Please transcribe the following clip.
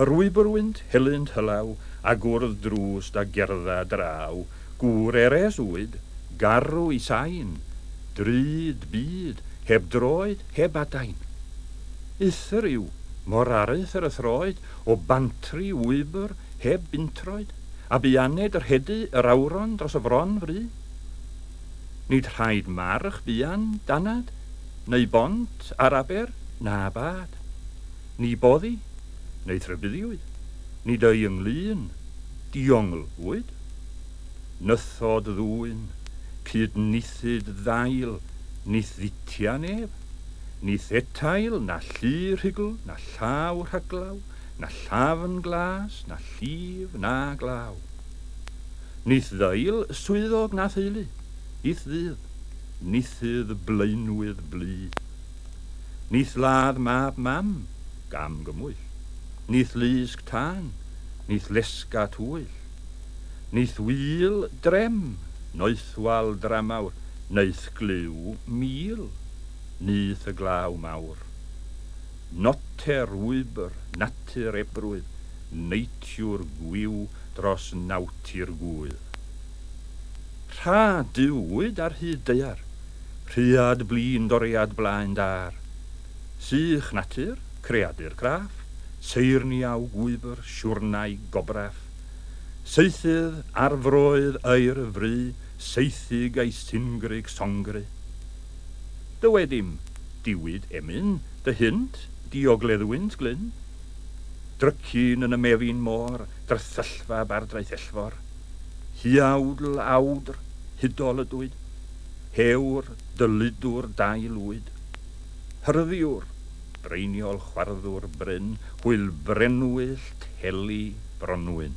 Yr wybr-wynt, helynt hylaw, a gwrdd drwst a gerdda draw, gŵr eres wyd, garw i sain, drud byd, heb droed, heb adain. Uthr yw, mor aruthr y throed, o bantri wybr, heb buntroed, a buaned yr hedu yr awron dros y fron fru. Nid rhaid march buan, danad, neu bont ar aber, na bad. Ni boddi, neu thrybuddiwyd, nid ei ynglŷn, diongl wyd. Nythod ddwyn, cyd nithyd ddail, nith dditia neb, nith etail na llu rhugl, na llaw rhaglaw, na llafn glas, na llif, na glaw. Nith ddail swyddog na theulu, i'th ddydd, nithydd blaenwydd blu. Nith ladd mab mam, gam gymwyll. Nith lusg tân, nith lesga twyll. Nith wyl drem, noethwal dramawr, neu'th glyw mil, nyth y glaw mawr. Noter wybr, natur ebrwydd, neitiwr gwiw dros nawtir gŵydd. Rha duwyd ar hyd daear, rhuad blin doriad blaen dâr. Sych natur, creadur craff, seirniaw gwybr, siwrnai gobraff. Saethydd ar froedd aer y fry, seithug a'i singrig songry. Dywed im, diwyd emyn, dy hynt, diogleddwynt glyn? Drycin yn y mefin môr, drythyllfa bardraethellfor. Huawdl awdr, hudol ydwyd, hewr, dyludwr dau lwyd. Hyrddiwr, breiniol chwarddwr bryn, hwyl brenwyllt heli bronwyn.